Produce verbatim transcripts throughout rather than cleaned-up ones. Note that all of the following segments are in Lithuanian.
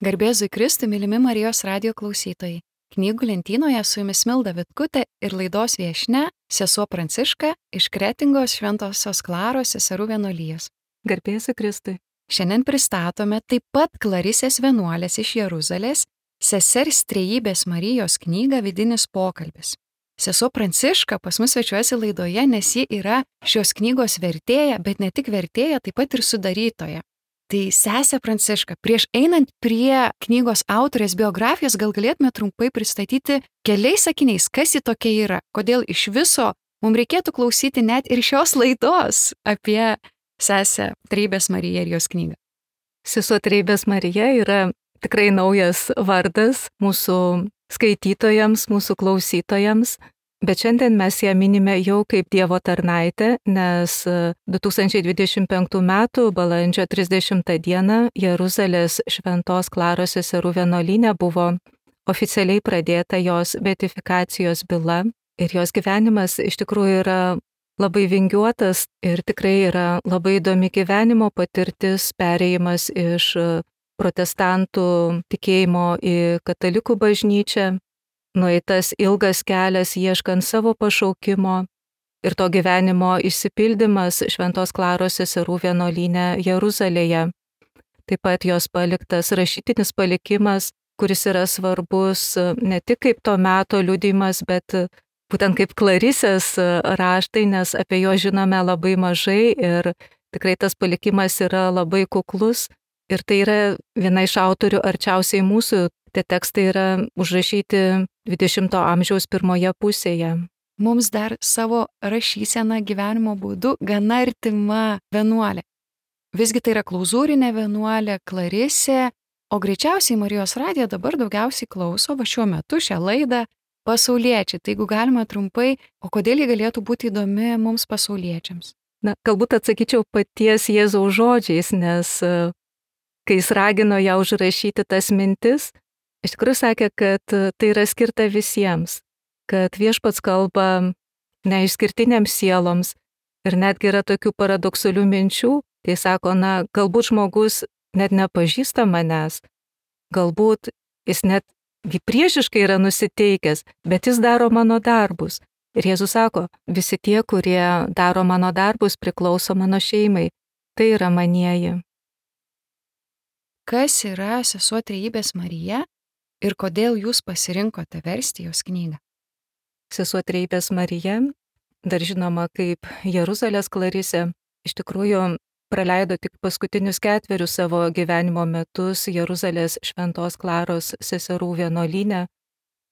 Garbėzui Kristui, mylimi Marijos radijo klausytojai. Knygų lentynoje su jumis Milda Vitkutė ir laidos viešnia sesuo Pranciška iš Kretingos Šventosios Klaros seserų vienuolijos. Garbėzui Kristui. Šiandien pristatome taip pat Klarisės vienuolės iš Jeruzalės, sesers Trejybės Marijos knygą Vidinis pokalbis. Sesuo Pranciška pas mus svečiuojasi laidoje, nes ji yra šios knygos vertėja, bet ne tik vertėja, taip pat ir sudarytoja. Tai sesė Pranciška, prieš einant prie knygos autorės biografijos, gal galėtume trumpai pristatyti keliais sakiniais, kas ji tokia yra, kodėl iš viso mums reikėtų klausyti net ir šios laidos apie sesę Trejybės Mariją ir jos knygą. Sesuo Trejybės Marija yra tikrai naujas vardas mūsų skaitytojams, mūsų klausytojams. Bet šiandien mes ją minime jau kaip Dievo tarnaitę, nes du tūkstančiai dvidešimt penktų metų balandžio trisdešimtą dieną Jeruzalės Šventos Klaros seserų vienuolyne buvo oficialiai pradėta jos beatifikacijos byla ir jos gyvenimas iš tikrųjų yra labai vingiuotas ir tikrai yra labai įdomi gyvenimo patirtis, perėjimas iš protestantų tikėjimo į katalikų bažnyčią. Nueitas ilgas kelias ieškant savo pašaukimo ir to gyvenimo išsipildymas Šventos Klaros seserų vienuolyne Jeruzalėje. Taip pat jos paliktas rašytinis palikimas, kuris yra svarbus ne tik kaip to meto liudijimas, bet būtent kaip Klarisės raštai, nes apie jo žinome labai mažai ir tikrai tas palikimas yra labai kuklus. Ir tai yra viena iš autorių arčiausiai mūsų. Tie tekstai yra užrašyti dvidešimto amžiaus pirmoje pusėje. Mums dar savo rašyseną gyvenimo būdu gana artima vienuolė. Visgi tai yra klauzūrinė vienuolė, Klarisė, o greičiausiai Marijos radiją dabar daugiausiai klauso, va šiuo metu šią laidą, pasauliečiai. Tai jeigu galima trumpai, o kodėl ji galėtų būti įdomi mums pasauliečiams? Na, galbūt atsakyčiau paties Jėzaus žodžiais, nes kai jis ragino ją užrašyti tas mintis, iš tikrųjų sakė, kad tai yra skirta visiems, kad viešpats kalba neišskirtinėms sieloms ir netgi yra tokių paradoksalių minčių, kai sako, na, galbūt žmogus net nepažįsta manęs, galbūt jis net priešiškai yra nusiteikęs, bet jis daro mano darbus. Ir Jėzus sako, visi tie, kurie daro mano darbus, priklauso mano šeimai, tai yra manieji. Kas yra sesuo Trejybės Marija? Ir kodėl jūs pasirinkote versti jos knygą? Sesuo Trejybės Marija, dar žinoma kaip Jeruzalės Klarisė, iš tikrųjų praleido tik paskutinius ketverius savo gyvenimo metus Jeruzalės Šventos Klaros seserų vienuolyne,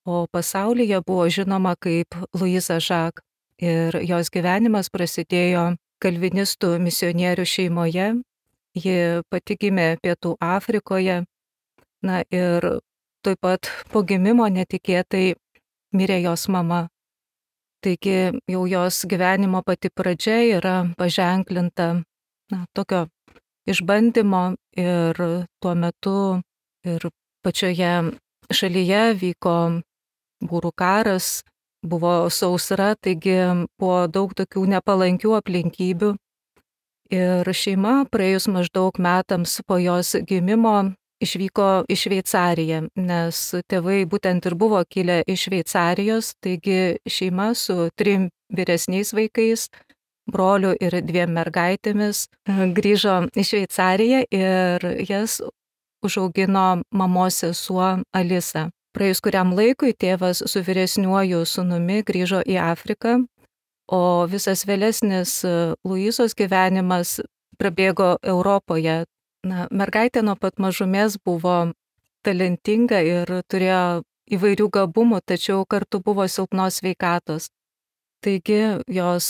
o pasaulyje buvo žinoma kaip Luiza Žak. Ir jos gyvenimas prasidėjo kalvinistų misionierių šeimoje, ji pati gimė Pietų Afrikoje, na ir taip pat po gimimo netikėtai mirė jos mama. Taigi jau jos gyvenimo pati pradžia yra paženklinta na, tokio išbandymo ir tuo metu ir pačioje šalyje vyko būrų karas, buvo sausra, taigi buvo daug tokių nepalankių aplinkybių. Ir šeima praėjus maždaug metams po jos gimimo išvyko į Šveicariją, nes tėvai būtent ir buvo kilę iš Šveicarijos, taigi šeima su trim vyresniais vaikais, broliu ir dviem mergaitėmis grįžo į Šveicariją ir jas užaugino mamos sesuo Alisa. Praėjus kuriam laikui tėvas su vyresniuoju sūnumi grįžo į Afriką, o visas vėlesnis Luizos gyvenimas prabėgo Europoje. Na, mergaitė nuo pat mažumės buvo talentinga ir turėjo įvairių gabumų, tačiau kartu buvo silpnos sveikatos. Taigi jos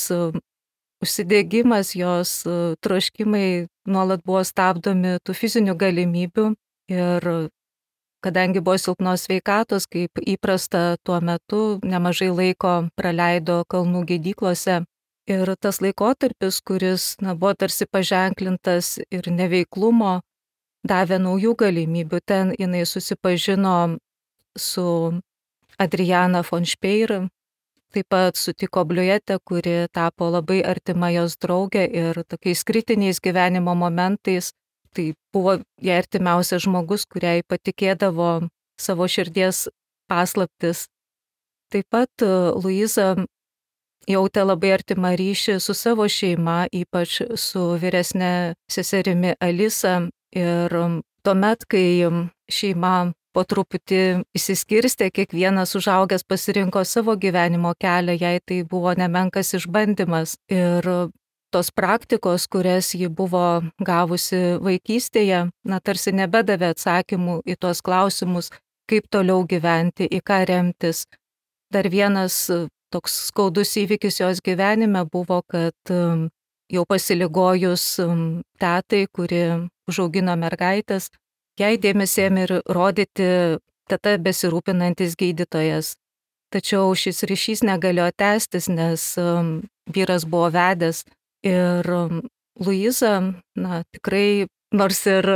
užsidegimas, jos troškimai nuolat buvo stabdomi tų fizinių galimybių ir kadangi buvo silpnos sveikatos, kaip įprasta tuo metu, nemažai laiko praleido kalnų gydyklose. Ir tas laikotarpis, kuris na, buvo tarsi paženklintas ir neveiklumo, davė naujų galimybių. Ten jinai susipažino su Adriana von Speyer, taip pat sutiko Bliujetę, kuri tapo labai artima jos draugė ir tokiais kritiniais gyvenimo momentais tai buvo jai artimiausias žmogus, kuriai patikėdavo savo širdies paslaptis. Taip pat Luiza jautė labai artimą ryšį su savo šeima, ypač su vyresne seserimi Alisa. Ir tuomet, kai šeima po truputį išsiskirstė, kiekvienas užaugęs pasirinko savo gyvenimo kelią, jai tai buvo nemenkas išbandymas. Ir tos praktikos, kurias ji buvo gavusi vaikystėje, na tarsi nebedavė atsakymų į tuos klausimus, kaip toliau gyventi, į ką remtis. Dar vienas toks skaudus įvykis jos gyvenime buvo, kad jau pasiligojus tetai, kuri užaugino mergaitės, jai dėmesį ėmė ir rodyti teta besirūpinantis gydytojas. Tačiau šis ryšys negalėjo tęstis, nes vyras buvo vedęs. Ir Luiza, na, tikrai, nors ir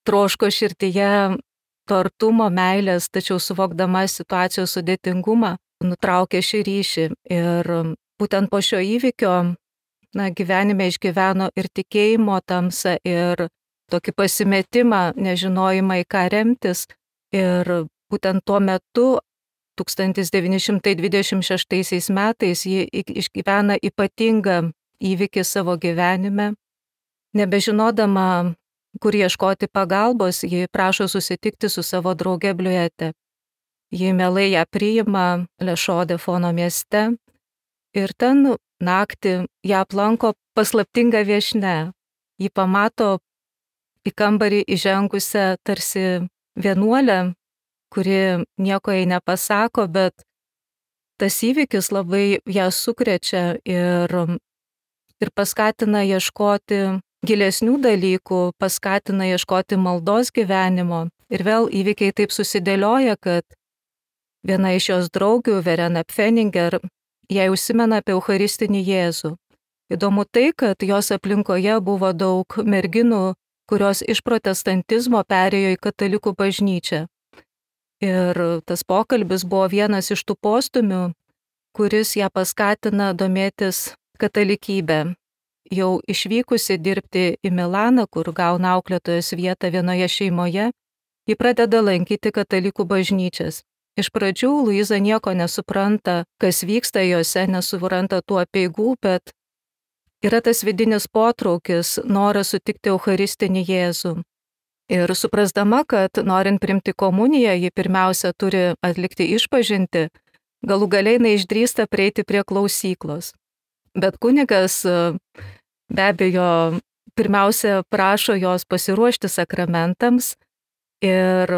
troško širdyje to artumo, meilės, tačiau suvokdama situacijos sudėtingumą, nutraukė šį ryšį. Ir būtent po šio įvykio, na, gyvenime išgyveno ir tikėjimo tamsą, ir tokį pasimetimą, nežinojimą, į ką remtis. Ir būtent tuo metu, tūkstantis devyni šimtai dvidešimt šeštaisiais metais, ji išgyvena ypatingą įvykį savo gyvenime. Nebežinodama, kur ieškoti pagalbos, ji prašo susitikti su savo drauge Bliuete. Ji mielai ją priima Lešode Fono mieste ir ten naktį ją aplanko paslaptinga viešnia. Ji pamato į kambarį įžengusią tarsi vienuolę, kuri nieko jai nepasako, bet tas įvykis labai ją sukrečia ir ir paskatina ieškoti gilesnių dalykų, paskatina ieškoti maldos gyvenimo. Ir vėl įvykiai taip susidėlioja, kad viena iš jos draugių, Verena Pfenninger, jai užsimena apie Eucharistinį Jėzų. Įdomu tai, kad jos aplinkoje buvo daug merginų, kurios iš protestantizmo perėjo į katalikų bažnyčią. Ir tas pokalbis buvo vienas iš tų postumių, kuris ją paskatina domėtis katalikybę. Jau išvykusi dirbti į Milaną, kur gauna auklėtojos vietą vienoje šeimoje, ji pradeda lankyti katalikų bažnyčias. Iš pradžių Luiza nieko nesupranta, kas vyksta jose, nesupranta tų apeigų, bet yra tas vidinis potraukis, noras sutikti Eucharistinį Jėzų. Ir suprasdama, kad norint priimti komuniją, ji pirmiausia turi atlikti išpažintį, galų galiai neišdrįsta prieiti prie klausyklos. Bet kunigas be abejo pirmiausia prašo jos pasiruošti sakramentams ir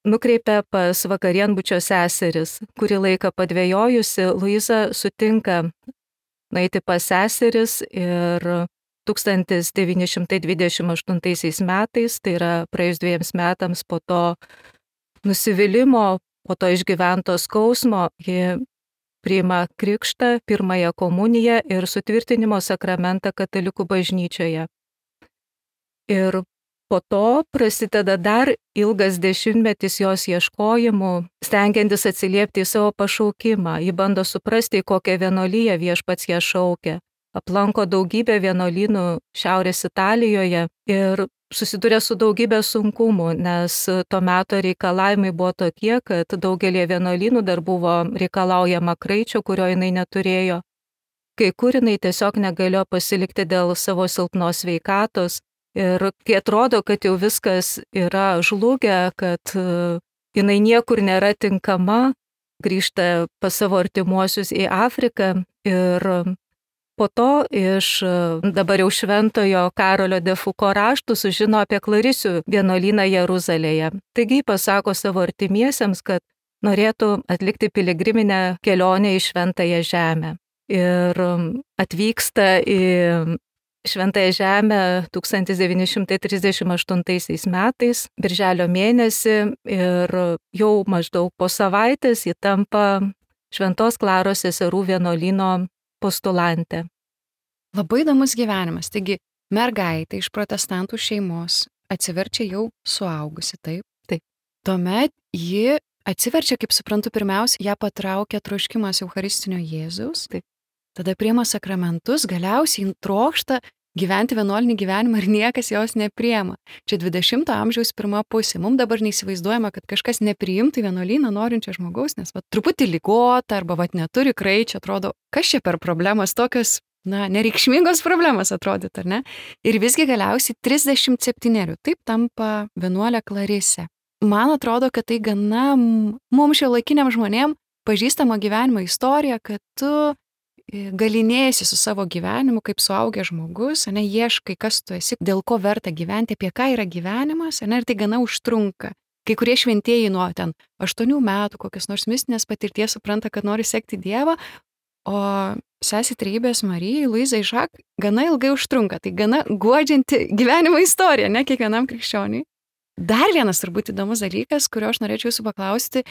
nukreipia pas vakarienbučio seseris. Kurį laiką padvejojusi, Luiza sutinka nueiti pas seseris ir tūkstantis devyni šimtai dvidešimt aštuntaisiais metais, tai yra praėjus dviems metams po to nusivylimo, po to išgyvento skausmo, ji priima krikštą, pirmąją komuniją ir sutvirtinimo sakramentą katalikų bažnyčioje. Ir po to prasideda dar ilgas dešimtmetis jos ieškojimų, stengiantis atsiliepti į savo pašaukimą. Ji bando suprasti, į kokią vienuoliją Viešpats ją šaukia. Aplanko daugybę vienuolynų Šiaurės Italijoje ir susiduria su daugybė sunkumų, nes to meto reikalavimai buvo tokie, kad daugelį vienuolynų dar buvo reikalaujama kraičio, kurio jinai neturėjo. Kai kur jinai tiesiog negalėjo pasilikti dėl savo silpnos sveikatos. Ir kai atrodo, kad jau viskas yra žlugę, kad jinai niekur nėra tinkama, grįžta pas savo artimuosius į Afriką ir po to iš dabar jau šventojo Karolio de Fuko raštų sužino apie Klarisių vienuolyną Jeruzalėje. Taigi pasako savo artimiesiems, kad norėtų atlikti piligriminę kelionę į Šventąją Žemę. Ir atvyksta į Šventąją Žemę tūkstantis devyni šimtai trisdešimt aštuntaisiais metais, birželio mėnesį, ir jau maždaug po savaitės ji tampa Šventos Klaros seserų vienuolyno postulantė. Labai įdomus gyvenimas. Taigi, mergaitė iš protestantų šeimos atsiverčia jau suaugusi, taip? Taip. Tuomet ji atsiverčia, kaip suprantu, pirmiausia, ją patraukia troškimas Eucharistinio Jėzaus. Taip. Tada priima sakramentus, galiausiai trokšta gyventi vienuolinį gyvenimą ir niekas jos nepriema. Čia dvidešimto amžiaus pirma pusė. Mums dabar neįsivaizduojama, kad kažkas nepriimtų vienuolyną norinčio žmogaus, nes va, truputį ligota arba va, neturi kraičio, atrodo, kas čia per problemas tokios, na, nereikšmingos problemos atrodytų, ar ne? Ir visgi galiausiai trisdešimt septynerių taip tampa vienuolė Klarisė. Man atrodo, kad tai gana mums šiuolaikiniam žmonėm pažįstamo gyvenimo istorija, kad tu galinėjasi su savo gyvenimu kaip suaugęs žmogus, ane, ieškai, kas tu esi, dėl ko verta gyventi, apie ką yra gyvenimas, ane, ir tai gana užtrunka. Kai kurie šventieji nuo ten aštuonių metų, kokios nors mistinės patirties supranta, kad nori sekti Dievą, o sesė Trejybės Marijai, Luizai Žak, gana ilgai užtrunka. Tai gana guodžianti gyvenimo istorija, ne kiekvienam krikščioniui. Dar vienas turbūt įdomus dalykas, kurio aš norėčiau jūsų paklausti.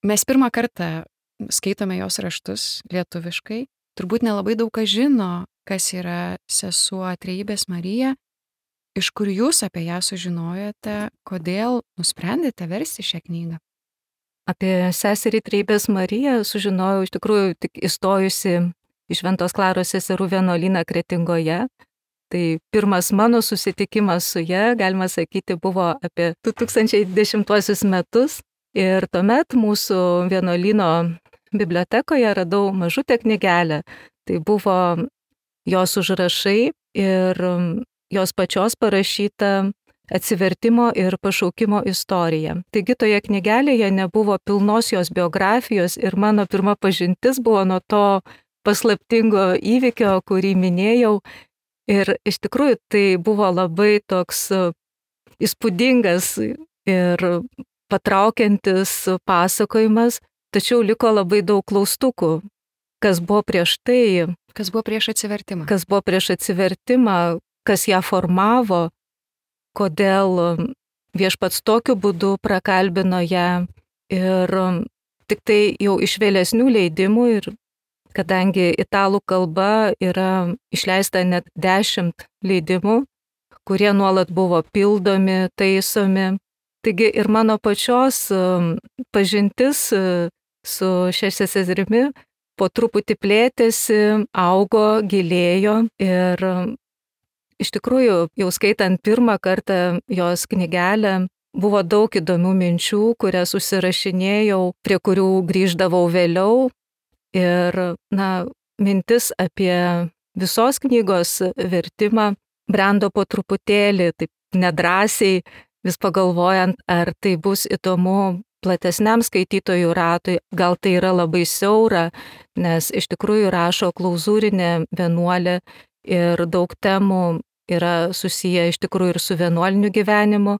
Mes pirmą kartą skaitome jos raštus lietuviškai. Turbūt nelabai daug kas žino, kas yra sesuo Trejybės Marija, iš kur jūs apie ją sužinojote, kodėl nusprendėte versti šią knygą. Apie seserį Trejybės Mariją sužinojau iš tikrųjų tik įstojusi į Šventos Klaros seserų vienuolyną Kretingoje. Tai pirmas mano susitikimas su ja, galima sakyti, buvo apie du tūkstančiai dešimtuosius metus. Ir tuomet mūsų vienuolyno bibliotekoje radau mažutę knygelę. Tai buvo jos užrašai ir jos pačios parašyta atsivertimo ir pašaukimo istorija. Taigi toje knygelėje nebuvo pilnos jos biografijos ir mano pirma pažintis buvo nuo to paslaptingo įvykio, kurį minėjau. Ir iš tikrųjų tai buvo labai toks įspūdingas ir patraukiantis pasakojimas, tačiau liko labai daug klaustukų, kas buvo prieš tai. Kas buvo prieš atsivertimą. Kas buvo prieš atsivertimą, kas ją formavo, kodėl viešpats tokiu būdu prakalbino ją. Ir tik tai jau iš vėlesnių leidimų, ir kadangi italų kalba yra išleista net dešimt leidimų, kurie nuolat buvo pildomi, taisomi. Taigi ir mano pačios pažintis su šia seserimi po truputį plėtėsi, augo, gilėjo ir iš tikrųjų jau skaitant pirmą kartą jos knygelę buvo daug įdomių minčių, kurias užsirašinėjau, prie kurių grįždavau vėliau. Ir, na, mintis apie visos knygos vertimą brendo po truputėlį, taip nedrąsiai, vis pagalvojant, ar tai bus įdomu platesniam skaitytojų ratui, gal tai yra labai siaura, nes iš tikrųjų rašo klauzūrinė vienuolė ir daug temų yra susiję iš tikrųjų ir su vienuoliniu gyvenimu.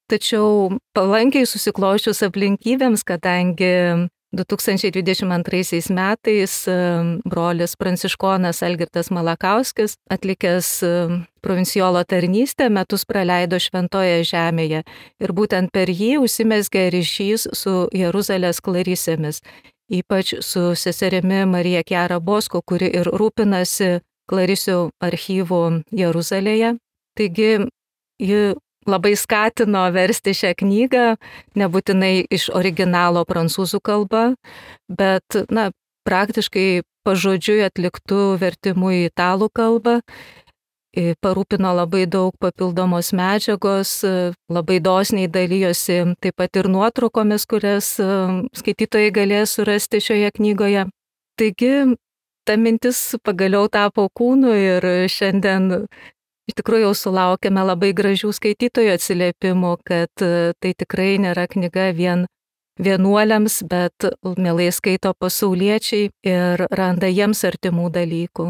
Tačiau palankiai susiklošius aplinkybėms, kadangi du tūkstančiai dvidešimt antraisiais metais brolis pranciškonas Algirdas Malakauskis, atlikęs provincijolo tarnystę, metus praleido Šventoje Žemėje ir būtent per jį užsimezgė ryšys su Jeruzalės klarisėmis, ypač su seserimi Marija Chiara Bosco, kuri ir rūpinasi klarisių archyvų Jeruzalėje. Taigi ji labai skatino versti šią knygą, nebūtinai iš originalo prancūzų kalba, bet, na, praktiškai pažodžiui atliktų vertimų į italų kalbą. Parūpino labai daug papildomos medžiagos, labai dosniai dalyjosi taip pat ir nuotraukomis, kurias skaitytojai galės surasti šioje knygoje. Taigi, ta mintis pagaliau tapo kūnu ir šiandien iš tikrųjų jau sulaukėme labai gražių skaitytojų atsiliepimų, kad tai tikrai nėra knyga vien vienuoliams, bet mielai skaito pasauliečiai ir randa jiems artimų dalykų.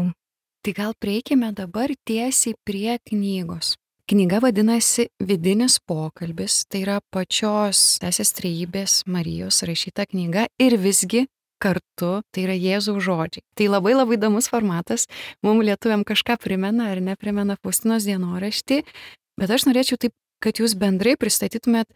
Tai gal prieikime dabar tiesiai prie knygos. Knyga vadinasi Vidinis pokalbis, tai yra pačios sesės Trejybės Marijos rašyta knyga ir visgi kartu tai yra Jėzaus žodžiai. Tai labai labai įdomus formatas, mums lietuviam kažką primena ar neprimena Faustinos dienoraštį, bet aš norėčiau taip, kad jūs bendrai pristatytumėt,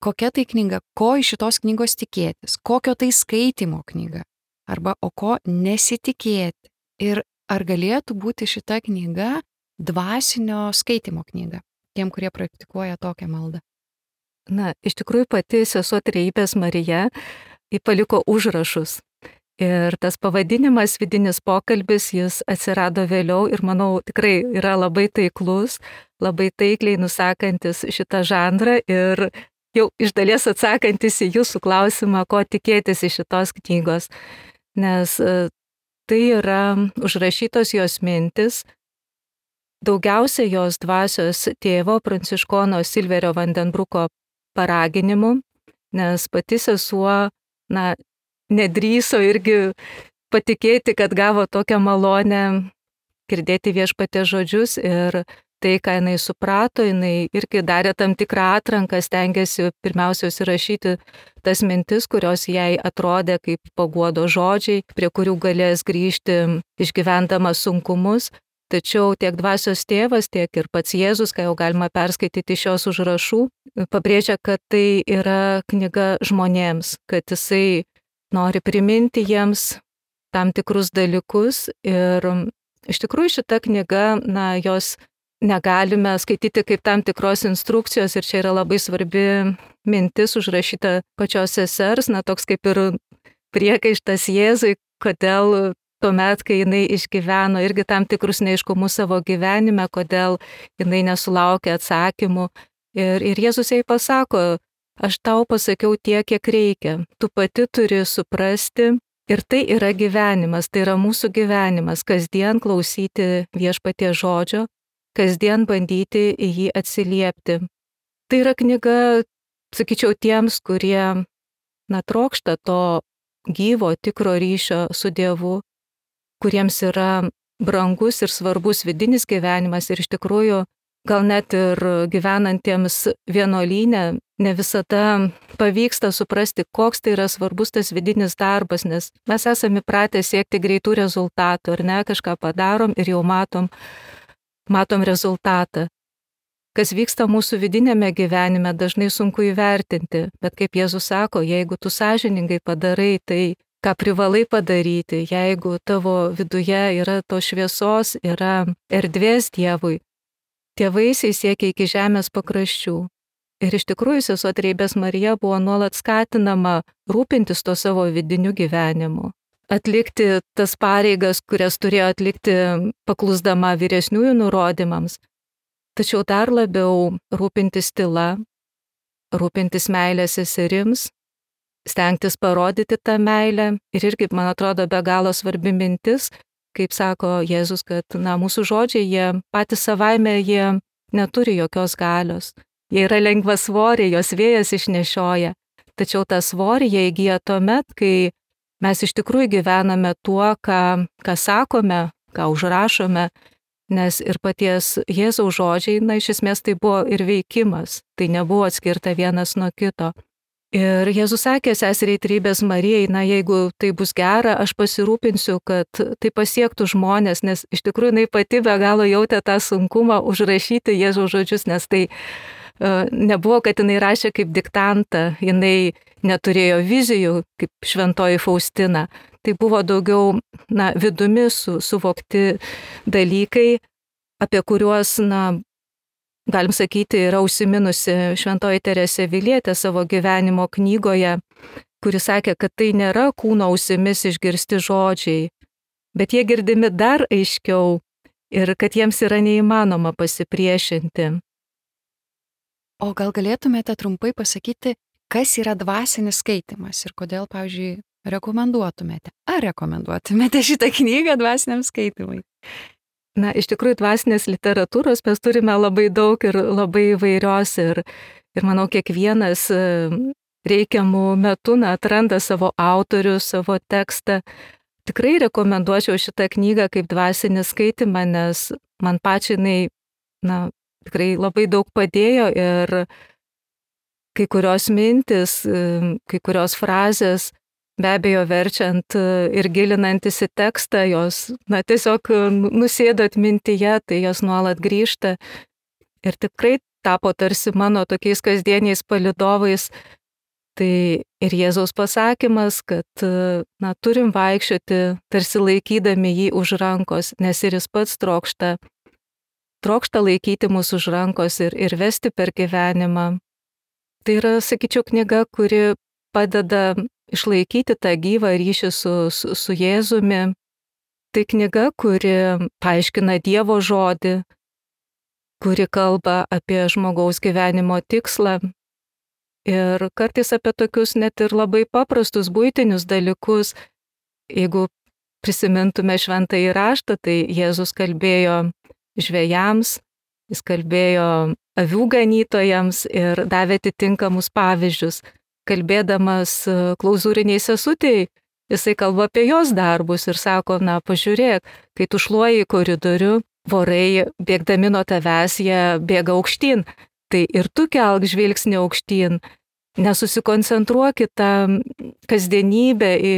kokia tai knyga, ko iš šitos knygos tikėtis, kokio tai skaitimo knyga, arba o ko nesitikėti. Ir ar galėtų būti šita knyga dvasinio skaitimo knyga, tiem, kurie praktikuoja tokią maldą? Na, iš tikrųjų pati sesuo Trejybės Marija paliko užrašus. Ir tas pavadinimas vidinis pokalbis, jis atsirado vėliau ir manau tikrai yra labai taiklus, labai taikliai nusakantis šitą žanrą ir jau iš dalies atsakantis į jūsų klausimą, ko tikėtis iš šitos knygos. Nes tai yra užrašytos jos mintis, daugiausia jos dvasios tėvo Pranciškono Silverio Vandenbruko paraginimu, nes pati sesuo, na, nedrįso irgi patikėti, kad gavo tokią malonę girdėti Viešpaties žodžius ir tai, ką jinai suprato, jinai irgi darė tam tikrą atranką, stengiasi pirmiausia įrašyti tas mintis, kurios jai atrodė kaip paguodo žodžiai, prie kurių galės grįžti išgyvendama sunkumus. Tačiau tiek dvasios tėvas, tiek ir pats Jėzus, ką jau galima perskaityti iš šios užrašų, pabrėžia, kad tai yra knyga žmonėms, kad jisai nori priminti jiems tam tikrus dalykus ir iš tikrųjų šita knyga, na, jos negalime skaityti kaip tam tikros instrukcijos ir čia yra labai svarbi mintis užrašyta pačios sesers, na, toks kaip ir priekaištas Jėzui, kodėl tuomet, kai jinai išgyveno irgi tam tikrus neaiškumus savo gyvenime, kodėl jinai nesulaukė atsakymų. Ir, ir Jėzus jai pasako, aš tau pasakiau tiek, kiek reikia. Tu pati turi suprasti ir tai yra gyvenimas, tai yra mūsų gyvenimas, kasdien klausyti Viešpaties žodžio, kasdien bandyti į jį atsiliepti. Tai yra knyga, sakyčiau, tiems, kurie, na, trokšta to gyvo, tikro ryšio su Dievu, kuriems yra brangus ir svarbus vidinis gyvenimas ir iš tikrųjų gal net ir gyvenantiems vienuolyne ne visada pavyksta suprasti, koks tai yra svarbus tas vidinis darbas, nes mes esame įpratę siekti greitų rezultatų, ar ne, kažką padarom ir jau matom, matom rezultatą. Kas vyksta mūsų vidinėme gyvenime, dažnai sunku įvertinti, bet kaip Jėzus sako, jeigu tu sąžiningai padarai tai, ką privalai padaryti, jeigu tavo viduje yra to šviesos, yra erdvės Dievui, tie vaisiai siekia iki žemės pakraščių. Ir iš tikrųjų sesuo Trejybės Marija buvo nuolat skatinama rūpintis to savo vidiniu gyvenimu, atlikti tas pareigas, kurias turėjo atlikti paklusdama vyresniųjų nurodymams, tačiau dar labiau rūpintis tyla, rūpintis meilę seserims, stengtis parodyti tą meilę ir irgi, man atrodo, be galo svarbi mintis, kaip sako Jėzus, kad, na, mūsų žodžiai, jie patys savaime, jie neturi jokios galios. Jie yra lengvasvoriai, jos vėjas išnešioja, tačiau tą svorį jie įgyja tuomet, kai mes iš tikrųjų gyvename tuo, ką, ką sakome, ką užrašome, nes ir paties Jėzaus žodžiai, na, iš esmės tai buvo ir veikimas, tai nebuvo atskirta vienas nuo kito. Ir Jėzus sakė seseriai Trejybės Marijai, na, jeigu tai bus gera, aš pasirūpinsiu, kad tai pasiektų žmonės, nes iš tikrųjų jinai pati be galo jautė tą sunkumą užrašyti Jėzaus žodžius, nes tai uh, nebuvo, kad jinai rašė kaip diktantą, jinai neturėjo vizijų kaip šventoji Faustina. Tai buvo daugiau, na, vidumi su, suvokti dalykai, apie kuriuos, na, galim sakyti, yra užsiminusi šventoji Teresė Avilietė savo gyvenimo knygoje, kuri sakė, kad tai nėra kūno ausimis išgirsti žodžiai, bet jie girdimi dar aiškiau ir kad jiems yra neįmanoma pasipriešinti. O gal galėtumėte trumpai pasakyti, kas yra dvasinis skaitimas ir kodėl, pavyzdžiui, rekomenduotumėte? Ar rekomenduotumėte šitą knygą dvasiniam skaitimui? Na, iš tikrųjų, dvasinės literatūros mes turime labai daug ir labai įvairios ir, ir manau, kiekvienas reikiamų metų na, atranda savo autorių, savo tekstą. Tikrai rekomenduočiau šitą knygą kaip dvasinį skaitimą, nes man pačiai jinai, na, tikrai labai daug padėjo ir kai kurios mintis, kai kurios frazės, be abejo, verčiant ir gilinantis į tekstą, jos, na, tiesiog nusėdo atmintyje, tai jos nuolat grįžta ir tikrai tapo tarsi mano tokiais kasdieniais palydovais. Tai ir Jėzaus pasakymas, kad, na, turim vaikščioti tarsi laikydami jį už rankos, nes ir jis pats trokšta, trokšta laikyti mus už rankos ir, ir vesti per gyvenimą. Tai yra, sakyčiau, knyga, kuri padeda išlaikyti tą gyvą ryšį su, su, su Jėzumi. Tai knyga, kuri paaiškina Dievo žodį, kuri kalba apie žmogaus gyvenimo tikslą ir kartais apie tokius net ir labai paprastus buitinius dalykus. Jeigu prisimintume šventąjį raštą, tai Jėzus kalbėjo žvejams, jis kalbėjo avių ganytojams ir davė atitinkamus pavyzdžius. Kalbėdamas klauzūriniai sesutei, jisai kalba apie jos darbus ir sako, na, pažiūrėk, kai tu šluoji į koridorių, vorai bėgdami nuo tavęs, jie bėga aukštyn, tai ir tu kelk žvilgsnį aukštyn. Nesusikoncentruok į tą kasdienybę, į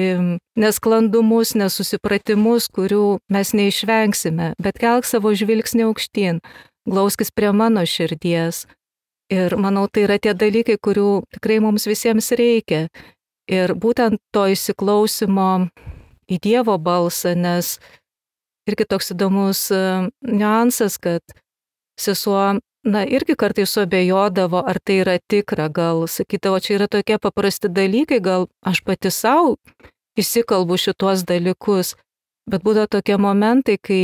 nesklandumus, nesusipratimus, kurių mes neišvengsime, bet kelk savo žvilgsnį aukštyn, glauskis prie mano širdies. Ir manau, tai yra tie dalykai, kurių tikrai mums visiems reikia. Ir būtent to įsiklausimo į Dievo balsą, nes irgi toks įdomus niuansas, kad sesuo, na, irgi kartais suabejodavo, ar tai yra tikra, gal sakydavo, čia yra tokie paprasti dalykai, gal aš pati savo įsikalbu šitos dalykus, bet būdavo tokie momentai, kai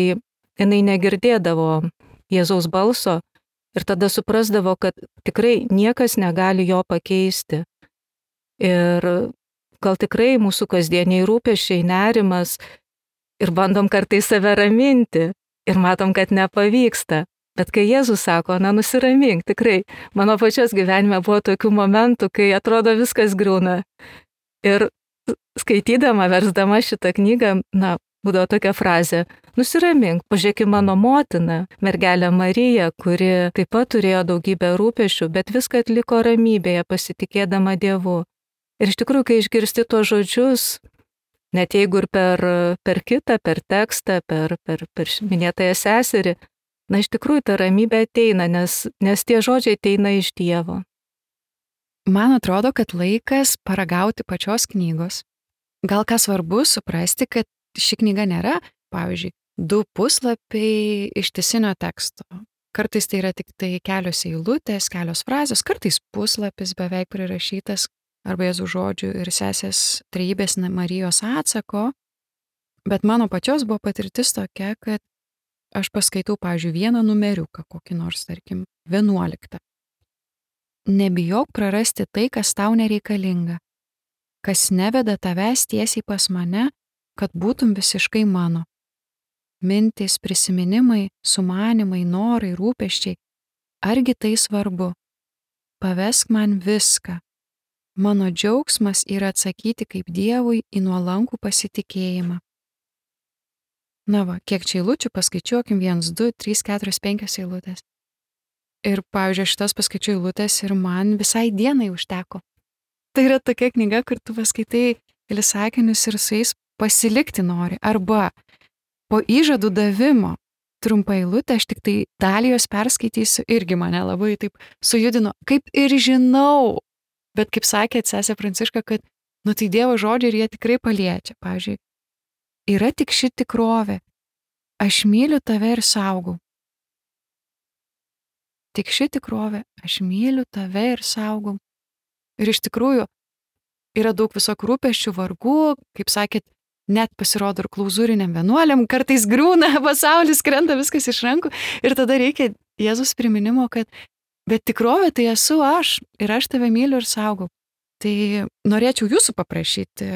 jinai negirdėdavo Jėzaus balso ir tada suprasdavo, kad tikrai niekas negali jo pakeisti. Ir gal tikrai mūsų kasdieniai rūpesčiai, nerimas ir bandom kartais save raminti ir matom, kad nepavyksta. Bet kai Jėzus sako, na, nusiramink, tikrai, mano pačios gyvenime buvo tokių momentų, kai atrodo viskas griūna. Ir skaitydama, versdama šitą knygą, na, būdavo tokia frazė, nusiramink, pažiūrėk į mano motiną, mergelę Mariją, kuri taip pat turėjo daugybę rūpesčių, bet viską atliko ramybėje, pasitikėdama Dievu. Ir iš tikrųjų, kai išgirsti tuos žodžius, net jeigu ir per, per kitą, per tekstą, per, per, per minėtąją seserį, na, iš tikrųjų ta ramybė ateina, nes, nes tie žodžiai ateina iš Dievo. Man atrodo, kad laikas paragauti pačios knygos. Gal ką svarbu suprasti, kad ši knyga nėra, pavyzdžiui, du puslapiai ištisinio teksto. Kartais tai yra tik tai kelios eilutės, kelios frazės, kartais puslapis beveik prirašytas arba Jėzaus žodžių ir sesės Trejybės Marijos atsako. Bet mano pačios buvo patirtis tokia, kad aš paskaitau, pavyzdžiui, vieną numeriuką, kokį nors, tarkim, vienuoliktą. Nebijok prarasti tai, kas tau nereikalinga, kas neveda tavęs tiesiai pas mane, kad būtum visiškai mano. Mintys, prisiminimai, sumanimai, norai, rūpesčiai, argi tai svarbu? Pavesk man viską. Mano džiaugsmas yra atsakyti kaip Dievui į nuolankų pasitikėjimą. Na va, kiek čia eilučių, paskaičiuokim, vienas, du, trys, keturios, penkios eilutės. Ir, pavyzdžiui, šitas paskaičiu eilutės ir man visai dienai užteko. Tai yra tokia knyga, kur tu paskaitai kelis sakinius ir su jais pasilikti nori. Arba po įžadų davimo trumpą eilutę, aš tik tai dalį jos perskaitysiu, irgi mane labai taip sujudino. Kaip ir žinau, bet kaip sakė sesė Pranciška, kad, nu tai Dievo žodžiai ir jie tikrai paliečia. Pavyzdžiui, yra tik ši tikrovė. Aš myliu tave ir saugau. Tik ši tikrovė. Aš myliu tave ir saugau. Ir iš tikrųjų yra daug visokių rūpesčių, vargų, kaip sakėt, net pasirodo ir klauzūriniam vienuoliam, kartais griūna, pasaulis krenta, viskas iš rankų. Ir tada reikia Jėzus priminimo, kad bet tikrovė tai esu aš ir aš tave myliu ir saugau. Tai norėčiau jūsų paprašyti,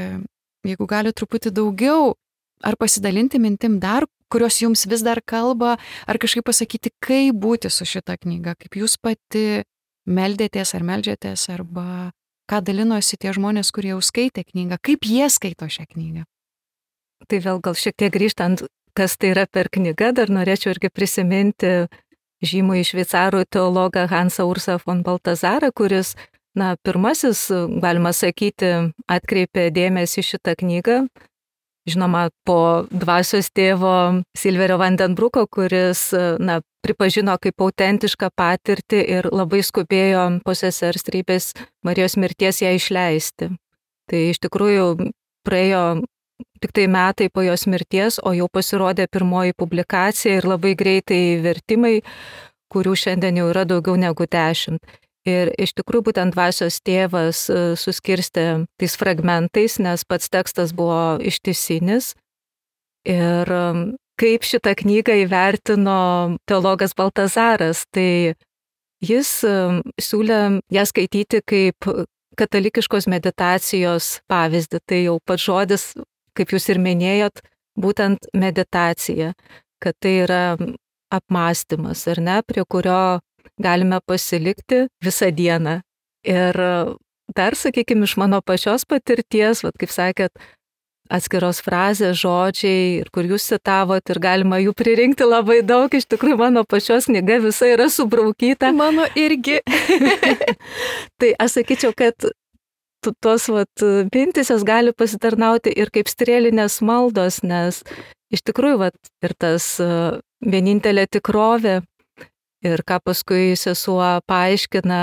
jeigu gali truputį daugiau, ar pasidalinti mintim dar, kurios jums vis dar kalba, ar kažkaip pasakyti, kaip būti su šita knyga, kaip jūs pati meldėtės ar meldžiatės, arba ką dalinosi tie žmonės, kurie jau skaitė knygą, kaip jie skaito šią knygą. Tai vėl gal šiek tiek grįžtant, kas tai yra per knyga, dar norėčiau irgi prisiminti žymųjį šveicarų teologą Hansą Ursą von Baltazarą, kuris, na, pirmasis, galima sakyti, atkreipė dėmesį šitą knygą. Žinoma, po dvasios tėvo Silverio Vandenbruko, kuris, na, pripažino kaip autentišką patirtį ir labai skubėjo po sesers Trejybės Marijos mirties ją išleisti. Tai iš tikrųjų praėjo tik tai metai po jos mirties, o jau pasirodė pirmoji publikacija ir labai greitai vertimai, kurių šiandien jau yra daugiau negu dešimt. Ir iš tikrųjų būtent dvasios tėvas suskirstė tais fragmentais, nes pats tekstas buvo ištisinis. Ir kaip šitą knygą įvertino teologas Baltazaras, tai jis siūlė ją skaityti kaip katalikiškos meditacijos pavyzdį. Tai jau pats žodis, kaip jūs ir minėjot, būtent meditacija, kad tai yra apmąstymas, ar ne, prie kurio galime pasilikti visą dieną. Ir dar, sakykime, iš mano pačios patirties, vat, kaip sakėt, atskiros frazės, žodžiai, ir kur jūs citavot, ir galima jų pririnkti labai daug, iš tikrųjų mano pačios knyga visa yra subraukyta. Mano irgi. Tai aš sakyčiau, kad tos vat, mintys jos gali pasitarnauti ir kaip strėlinės maldos, nes iš tikrųjų vat, ir tas vienintelė tikrovė, ir ką paskui sesuo paaiškina,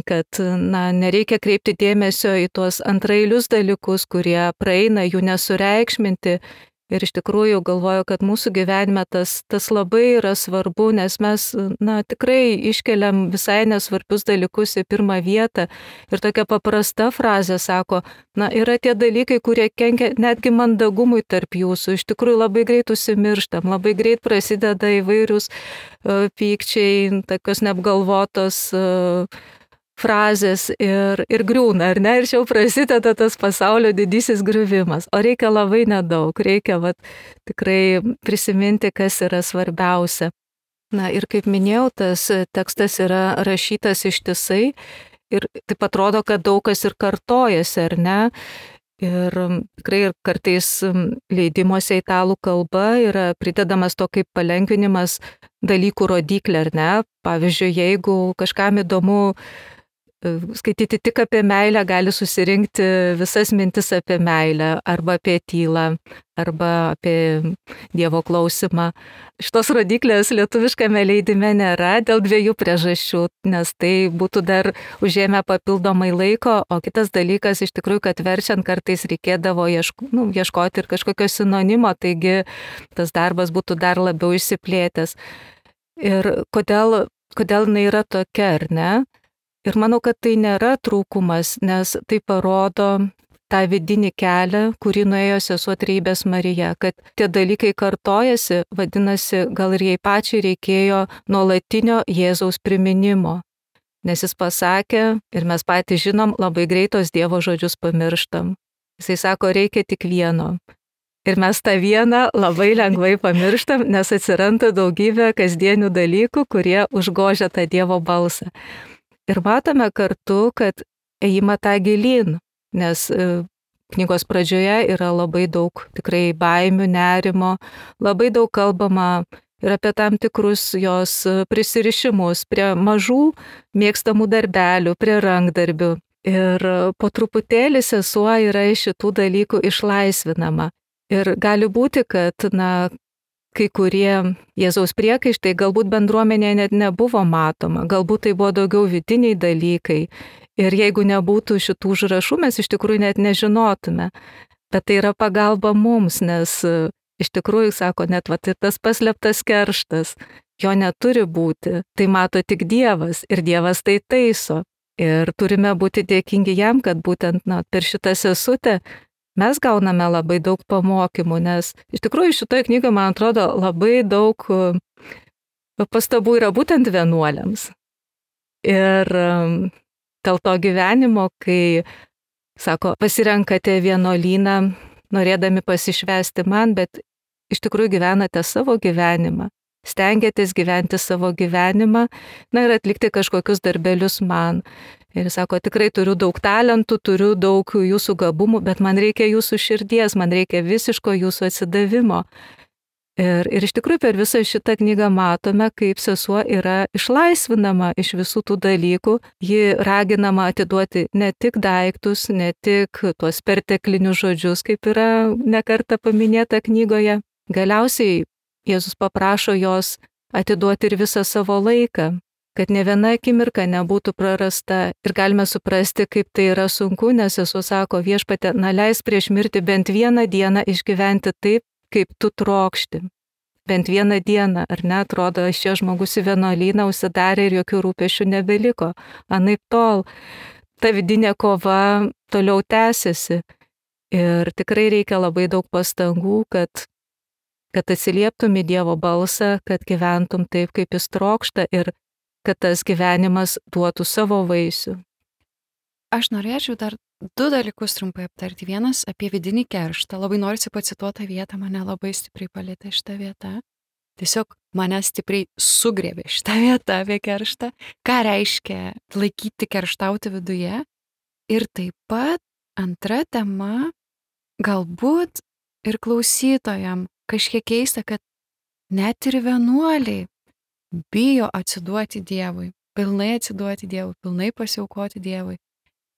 kad na, nereikia kreipti dėmesio į tuos antrailius dalykus, kurie praeina, jų nesureikšminti. Ir iš tikrųjų galvoju, kad mūsų gyvenime tas, tas labai yra svarbu, nes mes na, tikrai iškeliam visai nesvarbius dalykus į pirmą vietą. Ir tokia paprasta frazė sako, na, yra tie dalykai, kurie kenkia netgi mandagumui tarp jūsų. Iš tikrųjų labai greit užsimirštam, labai greit prasideda įvairius uh, pykčiai, tokios neapgalvotos uh, frazės ir, ir griūna, ar ne? Ir čia jau prasideda tas pasaulio didysis griuvimas. O reikia labai nedaug, reikia vat, tikrai prisiminti, kas yra svarbiausia. Na ir kaip minėjau, tas tekstas yra rašytas ištisai ir taip atrodo, kad daug kas ir kartojasi, ar ne? Ir tikrai ir kartais leidimuose italų kalba yra pridedamas to kaip palengvinimas dalykų rodiklė, ar ne? Pavyzdžiui, jeigu kažkam įdomu skaityti tik apie meilę, gali susirinkti visas mintis apie meilę, arba apie tylą, arba apie Dievo klausimą. Šitos rodiklės lietuviškame leidime nėra dėl dviejų priežasčių, nes tai būtų dar užėmę papildomai laiko, o kitas dalykas iš tikrųjų, kad verčiant kartais reikėdavo ieško, nu, ieškoti ir kažkokio sinonimo, taigi tas darbas būtų dar labiau išsiplėtęs. Ir kodėl, kodėl jinai yra tokia, ar ne? Ir manau, kad tai nėra trūkumas, nes tai parodo tą vidinį kelią, kurį nuėjo sesuo Trejybės Marija, kad tie dalykai kartojasi, vadinasi, gal ir jai pačiai reikėjo nuolatinio Jėzaus priminimo. Nes jis pasakė, ir mes patys žinom, labai greitos Dievo žodžius pamirštam. Jisai sako, reikia tik vieno. Ir mes tą vieną labai lengvai pamirštam, nes atsiranda daugybė kasdienių dalykų, kurie užgožia tą Dievo balsą. Ir matome kartu, kad ėjimą tą gilyn, nes knygos pradžioje yra labai daug tikrai baimių, nerimo, labai daug kalbama ir apie tam tikrus jos prisirišimus prie mažų mėgstamų darbelių, prie rankdarbių. Ir po truputėlį sesuo yra iš šitų dalykų išlaisvinama. Ir gali būti, kad na, kai kurie Jėzaus priekaištai galbūt bendruomenėje net nebuvo matoma, galbūt tai buvo daugiau vidiniai dalykai. Ir jeigu nebūtų šitų užrašų, mes iš tikrųjų net nežinotume. Bet tai yra pagalba mums, nes iš tikrųjų, sako, net va, tai tas paslėptas kerštas, jo neturi būti. Tai mato tik Dievas ir Dievas tai taiso. Ir turime būti dėkingi jam, kad būtent na, per šitą sesutę mes gauname labai daug pamokymų, nes iš tikrųjų šitoje knygoje, man atrodo, labai daug pastabų yra būtent vienuoliams. Ir dėl to gyvenimo, kai, sako, pasirenkate vienuolyną, norėdami pasišvesti man, bet iš tikrųjų gyvenate savo gyvenimą, stengiatės gyventi savo gyvenimą, na ir atlikti kažkokius darbelius man. Ir jis sako, tikrai turiu daug talentų, turiu daug jūsų gabumų, bet man reikia jūsų širdies, man reikia visiško jūsų atsidavimo. Ir, ir iš tikrųjų per visą šitą knygą matome, kaip sesuo yra išlaisvinama iš visų tų dalykų. Ji raginama atiduoti ne tik daiktus, ne tik tuos perteklinius žodžius, kaip yra nekartą paminėta knygoje. Galiausiai Jėzus paprašo jos atiduoti ir visą savo laiką, kad ne viena akimirka nebūtų prarasta. Ir galime suprasti, kaip tai yra sunku, nes sesuo sako, Viešpatie, na leis prieš mirtį bent vieną dieną išgyventi taip, kaip tu trokšti. bent vieną dieną, ar ne, atrodo, šie žmogus į vienuolyną užsidarė ir jokių rūpešių nebeliko. Anaip tol, ta vidinė kova toliau tęsiasi. Ir tikrai reikia labai daug pastangų, kad, kad atsilieptum į Dievo balsą, kad gyventum taip, kaip jis trokšta ir kad tas gyvenimas duotų savo vaisių. Aš norėčiau dar du dalykus trumpai aptarti. Vienas apie vidinį kerštą. Labai norisi pacituoti vietą, mane labai stipriai palėtė šitą vietą. Tiesiog mane stipriai sugriebė šitą vietą apie kerštą. Ką reiškia laikyti kerštauti viduje? Ir taip pat antra tema, galbūt ir klausytojam kažkiek keista, kad net ir vienuoliai bijo atsiduoti Dievui, pilnai atsiduoti Dievui, pilnai pasiaukoti Dievui.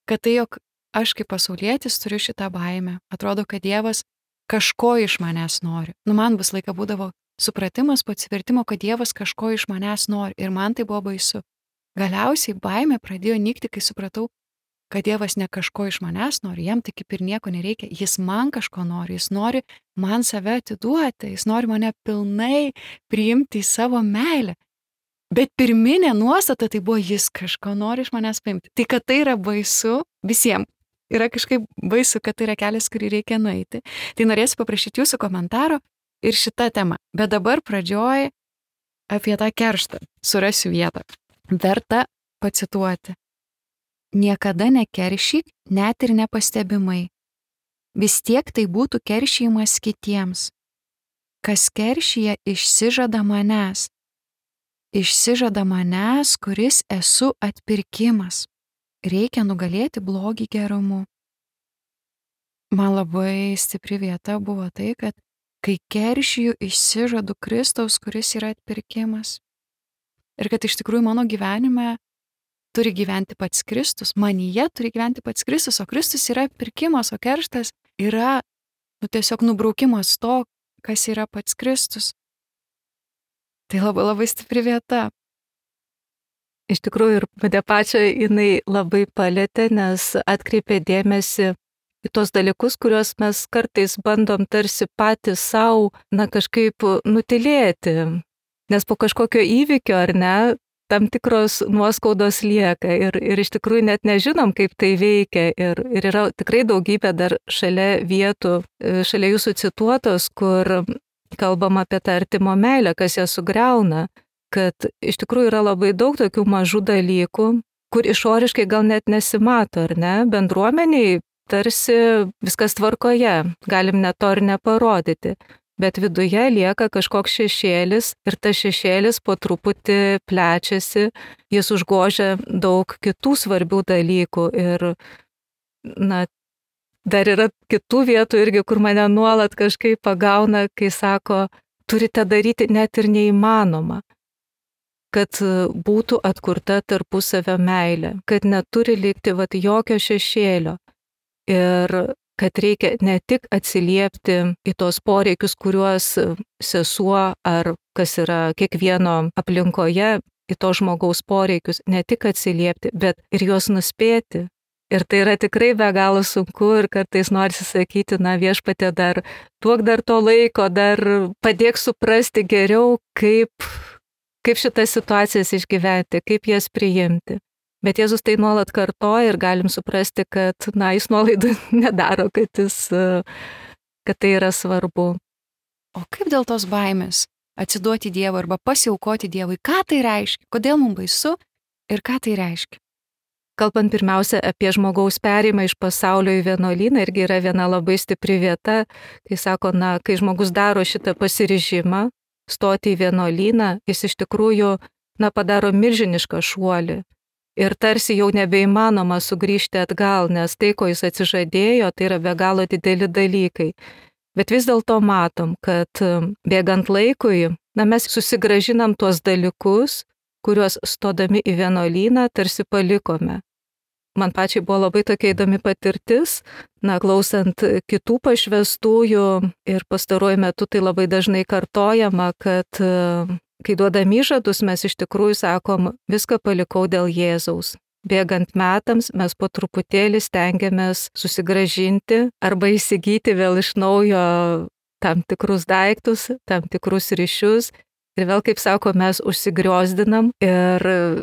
Kad tai, jog aš kaip pasaulietis turiu šitą baimę. Atrodo, kad Dievas kažko iš manęs nori. Nu, man vis laiką būdavo supratimas po atsivertimo, kad Dievas kažko iš manęs nori. Ir man tai buvo baisu. Galiausiai baimė pradėjo nykti, kai supratau, kad Dievas ne kažko iš manęs nori, jam tai kaip ir nieko nereikia. Jis man kažko nori, jis nori man save atiduoti, jis nori mane pilnai priimti į savo meilę. Bet pirminė nuostata tai buvo, jis kažko nori iš manęs paimti. Tai, kad tai yra baisu visiems. Yra kažkaip baisu, kad tai yra kelias, kurį reikia nueiti. Tai norėsiu paprašyti jūsų komentaro ir šitą temą. Bet dabar pradžioj apie tą kerštą. Surasiu vietą. Verta pacituoti. Niekada nekeršyk, net ir nepastebimai. Vis tiek tai būtų keršyjimas kitiems. Kas keršyje išsižada manęs. Išsižada manęs, kuris esu atpirkimas. Reikia nugalėti blogį gerumu. Man labai stipri vieta buvo tai, kad kai keršiju, išsižadu Kristaus, kuris yra atpirkimas. Ir kad iš tikrųjų mano gyvenime turi gyventi pats Kristus, manyje turi gyventi pats Kristus, o Kristus yra atpirkimas, o kerštas yra nu, tiesiog nubraukimas to, kas yra pats Kristus. Tai labai labai stipri vieta. Iš tikrųjų ir mane pačią jinai labai palėtė, nes atkreipė dėmesį į tos dalykus, kuriuos mes kartais bandom tarsi patys savo, na, kažkaip nutilėti. Nes po kažkokio įvykio, ar ne, tam tikros nuoskaudos lieka ir, ir iš tikrųjų net nežinom, kaip tai veikia. Ir, ir yra tikrai daugybė dar šalia vietų, šalia jūsų cituotos, kur kalbam apie tą artimo meilę, kas ją sugriauna, kad iš tikrųjų yra labai daug tokių mažų dalykų, kur išoriškai gal net nesimato, ar ne? Bendruomeniai tarsi viskas tvarkoje, galim net to ir neparodyti, bet viduje lieka kažkoks šešėlis ir tas šešėlis po truputį plečiasi, jis užgožia daug kitų svarbių dalykų ir, na, dar yra kitų vietų irgi, kur mane nuolat kažkaip pagauna, kai sako, turite daryti net ir neįmanoma, kad būtų atkurta tarpusavio meilė, kad neturi likti vat, jokio šešėlio ir kad reikia ne tik atsiliepti į tos poreikius, kuriuos sesuo ar kas yra kiekvieno aplinkoje, į to žmogaus poreikius, ne tik atsiliepti, bet ir juos nuspėti. Ir tai yra tikrai be galo sunku ir kartais norisi sakyti, na viešpatie dar, duok dar to laiko, dar padėk suprasti geriau, kaip, kaip šitas situacijas išgyventi, kaip jas priimti. Bet Jėzus tai nuolat kartoja ir galim suprasti, kad, na, jis nuolaidų nedaro, kad, jis, kad tai yra svarbu. O kaip dėl tos baimės atsiduoti Dievui arba pasiaukoti Dievui? Ką tai reiškia? Kodėl mums baisu ir ką tai reiškia? Kalbant pirmiausia apie žmogaus perėjimą iš pasaulio į vienuolyną, irgi yra viena labai stipri vieta, kai sako, na, kai žmogus daro šitą pasiryžimą stoti į vienuolyną, jis iš tikrųjų, na, padaro milžinišką šuolį. Ir tarsi jau nebeįmanoma sugrįžti atgal, nes tai, ko jis atsižadėjo, tai yra be galo dideli dalykai. Bet vis dėlto matom, kad bėgant laikui, na, mes susigražinam tuos dalykus, kuriuos stodami į vienuolyną tarsi palikome. Man pačiai buvo labai tokia įdomi patirtis, na, klausant kitų pašvęstųjų ir pastaruoju metu tai labai dažnai kartojama, kad kai duodam įžadus, mes iš tikrųjų sakom, viską palikau dėl Jėzaus. Bėgant metams mes po truputėlį stengiamės susigražinti arba įsigyti vėl iš naujo tam tikrus daiktus, tam tikrus ryšius. Ir vėl, kaip sako, mes užsigriozdinam ir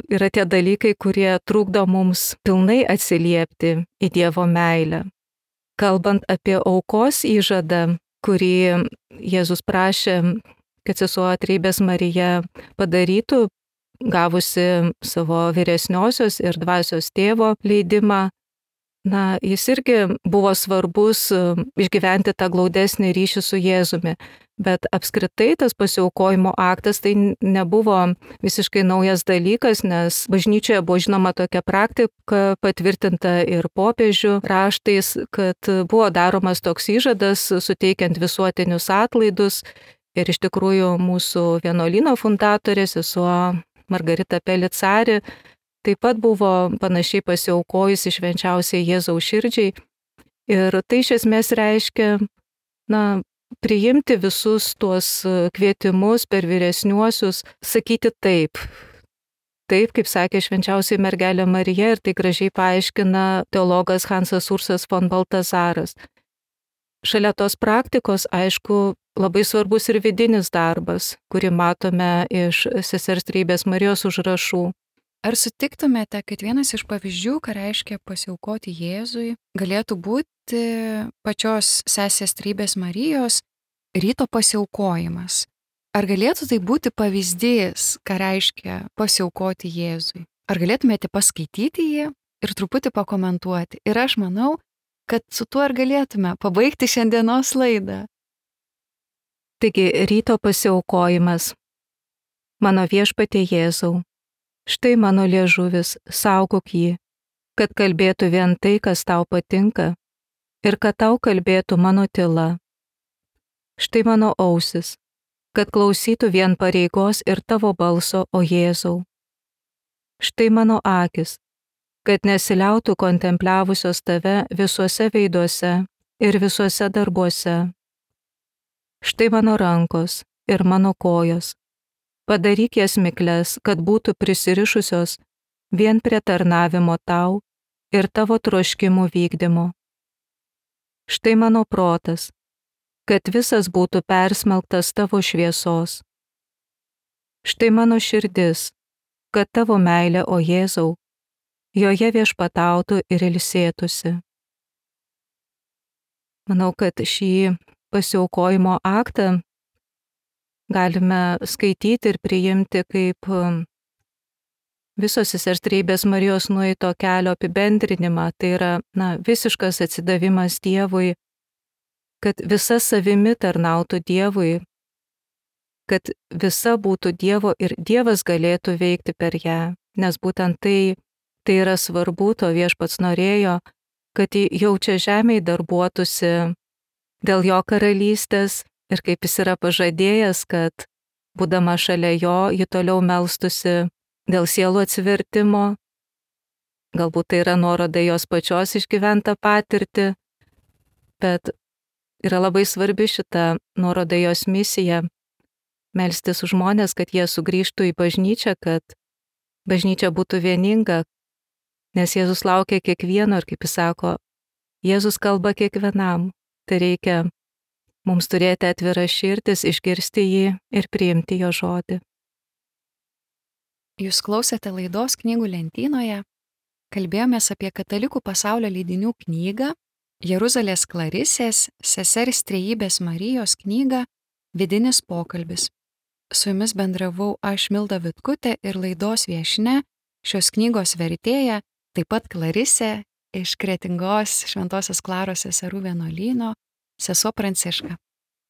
yra tie dalykai, kurie trukdo mums pilnai atsiliepti į Dievo meilę. Kalbant apie aukos įžadą, kurį Jėzus prašė, kad sesuo Trejybės Marija padarytų, gavusi savo vyresniosios ir dvasios tėvo leidimą, na, jis irgi buvo svarbus išgyventi tą glaudesnį ryšį su Jėzumi. Bet apskritai tas pasiaukojimo aktas tai nebuvo visiškai naujas dalykas, nes bažnyčioje buvo žinoma tokia praktika patvirtinta ir popiežių raštais, kad buvo daromas toks įžadas suteikiant visuotinius atlaidus. Ir iš tikrųjų mūsų vienuolyno fundatorė, sesuo Margarita Pelicari, taip pat buvo panašiai pasiaukojusi švenčiausiai Jėzaus širdžiai. Ir tai iš esmės reiškia, na, priimti visus tuos kvietimus per vyresniuosius, sakyti taip. Taip, kaip sakė švenčiausiai mergelė Marija, ir tai gražiai paaiškina teologas Hansas Ursas von Baltazaras. Šalia tos praktikos, aišku, labai svarbus ir vidinis darbas, kurį matome iš sesers Trejybės Marijos užrašų. Ar sutiktumėte, kad vienas iš pavyzdžių, ką reiškia pasiaukoti Jėzui, galėtų būti pačios sesės Trejybės Marijos ryto pasiaukojimas? Ar galėtų tai būti pavyzdys, ką reiškia pasiaukoti Jėzui? Ar galėtumėte paskaityti jį ir truputį pakomentuoti? Ir aš manau, kad su tuo ir galėtume pabaigti šiandienos laidą. Taigi, ryto pasiaukojimas. Mano viešpatie Jėzau, štai mano liežuvis, saugok jį, kad kalbėtų vien tai, kas tau patinka, ir kad tau kalbėtų mano tyla. Štai mano ausis, kad klausytų vien pareigos ir tavo balso, o Jėzau. Štai mano akis, kad nesiliautų kontempliavusios tave visuose veiduose ir visuose darbuose. Štai mano rankos ir mano kojos. Padaryk jas mikles, kad būtų prisirišusios vien prie tarnavimo tau ir tavo troškimų vykdymo. Štai mano protas, kad visas būtų persmelktas tavo šviesos. Štai mano širdis, kad tavo meilė, o Jėzau, joje viešpatautų ir ilsėtųsi. Manau, kad šį pasiaukojimo aktą galime skaityti ir priimti kaip visos sesers Trejybės Marijos nueito kelio apibendrinimą. Tai yra, na, visiškas atsidavimas Dievui, kad visa savimi tarnautų Dievui, kad visa būtų Dievo ir Dievas galėtų veikti per ją. Nes būtent tai, tai yra svarbu, to viešpats norėjo, kad jau čia žemėje darbuotųsi dėl jo karalystės ir kaip jis yra pažadėjęs, kad būdama šalia jo, ji toliau melstusi dėl sielų atsivertimo. Galbūt tai yra nuoroda jos pačios išgyventą patirtį, bet yra labai svarbi šita nuoroda jos misija - melstis už žmonės, kad jie sugrįžtų į bažnyčią, kad bažnyčia būtų vieninga, nes Jėzus laukia kiekvieno ir, kaip jis sako, Jėzus kalba kiekvienam. Tai reikia mums turėti atvirą širdis, išgirsti jį ir priimti jo žodį. Jūs klausėte laidos Knygų lentynoje. Kalbėjomės apie katalikų pasaulio leidinių knygą, Jeruzalės Klarisės, sesers Trejybės Marijos knygą Vidinis pokalbis. Su jumis bendravau aš, Milda Vitkutė, ir laidos viešnia, šios knygos vertėja, taip pat Klarisė iš Kretingos Šventosios Klaros seserų vienuolyno, sesuo Pranciška.